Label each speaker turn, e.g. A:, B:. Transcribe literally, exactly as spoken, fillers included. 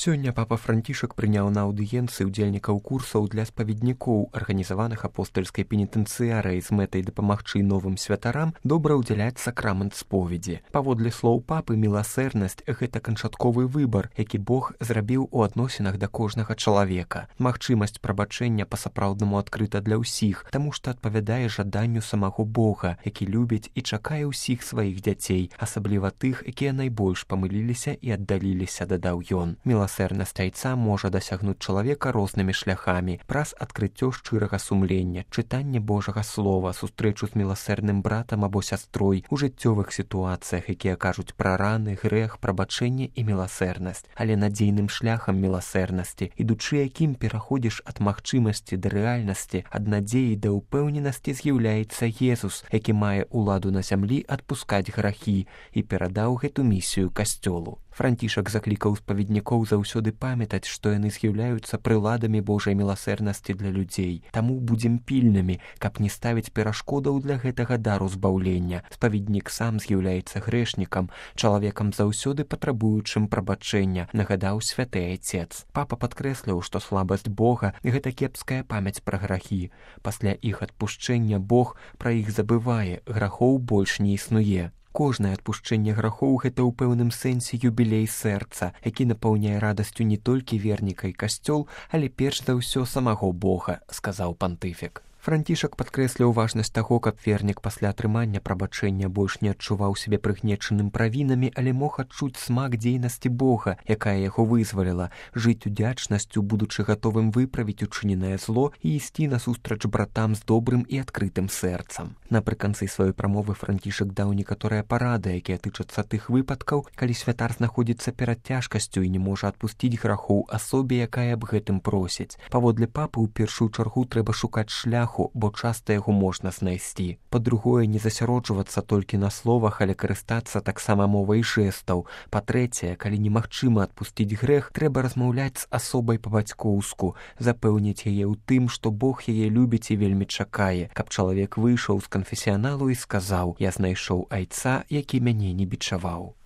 A: Сёння папа Францішак прыняў на аўдыенцыі ўдзельнікаў курсаў для спаведнікоў, арганізаваных апостальскай пенітэнцыярыяй з мэтай дапамагчы новым святарам добра ўдзяляць сакрамент споведзі. Паводле слоў папы, міласэрнасць – гэта канчатковы выбар, які Бог зрабіў у адносінах да кожнага чалавека. Магчымасць прабачэння па-сапраўднаму адкрыта для ўсіх, таму што адпавядае жаданню самого Бога, які любіць і чакае ўсіх сваіх дзяцей, асабліва тых, якія найбольш памыліліся і аддаліліся, дадаў ён. Міласэрнасць айца можа дасягнуць чалавека рознымі шляхамі, праз адкрыццё шчырага сумлення, чытанне Божага слова, сустрэчу з міласэрным братам або сястрой, у жыццёвых сітуацыях, якія кажуць пра раны, грэх, прабачэнне і міласэрнасць, але надзейным шляхам міласэрнасці, ідучы якім пераходзіш ад магчымасці да рэальнасці, ад надзеі да ўпэўненасці з'яўляецца Езус, які мае ўладу на зямлі адпускаць грахі і перадаў гэту місію касцёлу. Францішак заклікаў спаведнікоў заўсёды памятаць, што яны з'яўляюцца прыладамі Божай міласэрнасці для людзей. Таму будзем пільнымі, каб не ставіць перашкодаў для гэтага дару збаўлення. Спаведнік сам з'яўляецца грэшнікам, чалавекам заўсёды патрабуючым прабачэння, нагадаў святы айцец. Папа падкрэсліў, што слабасць Бога – гэта кепская памяць пра грахі. Пасля іх адпушчэння Бог пра іх забывае, грахоў больш не існуе. Кожнае адпушчэнне грахоў – гэта ў пэўным сэнсе юбілей сэрца, які напаўняе радасцю не толькі верніка і касцёл, але перш за ўсё самого Бога, сказаў пантыфік. Францішак падкрэсліў важнасць таго, каб вернік пасля атрымання прабачэння больш не адчуваў сябе прыгнечаным правінамі, але мог адчуць смак дзейнасці Бога, якая яго вызваліла, жыць удзячнасцю, будучы гатовым выправіць учыненае зло і ісці насустрач братам з добрым і адкрытым сэрцам. Напрыканцы сваёй прамовы Францішак даў некаторыя парады, якія тычацца тых выпадкаў, калі святар знаходзіцца перад цяжкасцю і не можа адпусціць грахоў асобе, якая аб гэтым просіць. Паводле папы, у першую чаргу трэба шукаць шлях, бо часта яго можна знайсці. Па-другое, не засяроджвацца толькі на словах, але карыстацца таксама мовай жэстаў. Па-трэцяе, калі немагчыма адпусціць грэх, трэба размаўляць з асобай па-бацькоўску, запэўніць яе ў тым, што Бог яе любіць і вельмі чакае, каб чалавек выйшаў з канфесіяналу і сказаў: «Я знайшоў айца, які мяне не бичаваў».